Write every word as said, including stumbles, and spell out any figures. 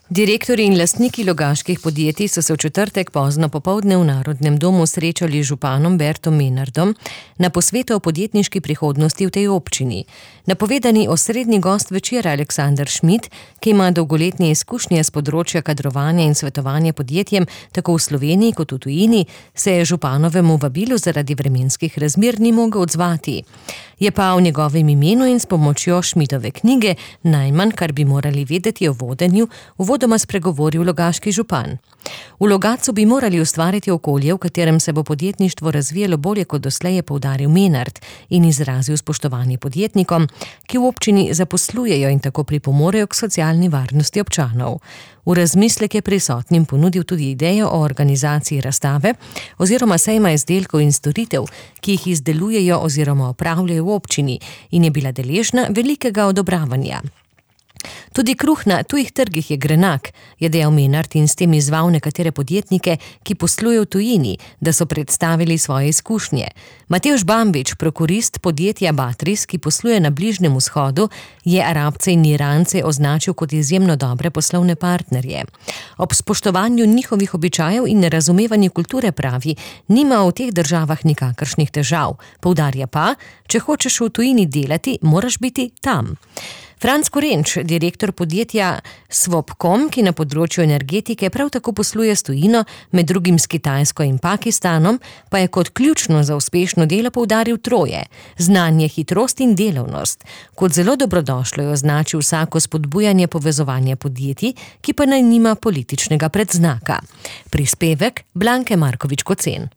Direktorji in lastniki logaških podjetij so se v četrtek pozno popoldne v Narodnem domu srečali z županom Bertom Menardom na posvetu o podjetniški prihodnosti v tej občini. Napovedani osrednji gost večera Aleksander Šmid, ki ima dolgoletne izkušnje s področja kadrovanja in svetovanja podjetjem tako v Sloveniji kot v tujini, se je županovemu vabilu zaradi vremenskih razmer ni mogel odzvati. Je pa v njegovem imenu in s pomočjo Šmidove knjige Najmanj, kar bi morali vedeti o vodenju, uvodoma spregovoril logaški župan. V Logatcu bi morali ustvariti okolje, v katerem se bo podjetništvo razvijalo bolje kot doslej, je poudaril Menard in izrazil spoštovanje podjetnikom, ki v občini zaposlujejo in tako pripomorejo k socialni varnosti občanov. V razmislek je prisotnim ponudil tudi idejo o organizaciji razstave oziroma sejma izdelkov in storitev, ki jih izdelujejo oziroma opravljajo v občini, in je bila deležna velikega odobravanja. Tudi kruh na tujih trgih je grenak, je dejal Menard in s tem izzval nekatere podjetnike, ki poslujejo v tujini, da so predstavili svoje izkušnje. Matevž Bambič, prokurist podjetja Batris, ki posluje na Bližnjem vzhodu, je Arabce in Irance označil kot izjemno dobre poslovne partnerje. Ob spoštovanju njihovih običajev in razumevanju kulture pravi, nima v teh državah nikakršnih težav. Poudarja pa, če hočeš v tujini delati, moraš biti tam. Franc Korenč, direktor podjetja Swapcom, ki na področju energetike prav tako posluje s tujino, med drugim s Kitajsko in Pakistanom, pa je kot ključno za uspešno delo poudaril troje: znanje, hitrost in delavnost. Kot zelo dobrodošlo je označil vsako spodbujanje povezovanja podjetij, ki pa naj nima političnega predznaka. Prispevek Blanke Markovič Kocen.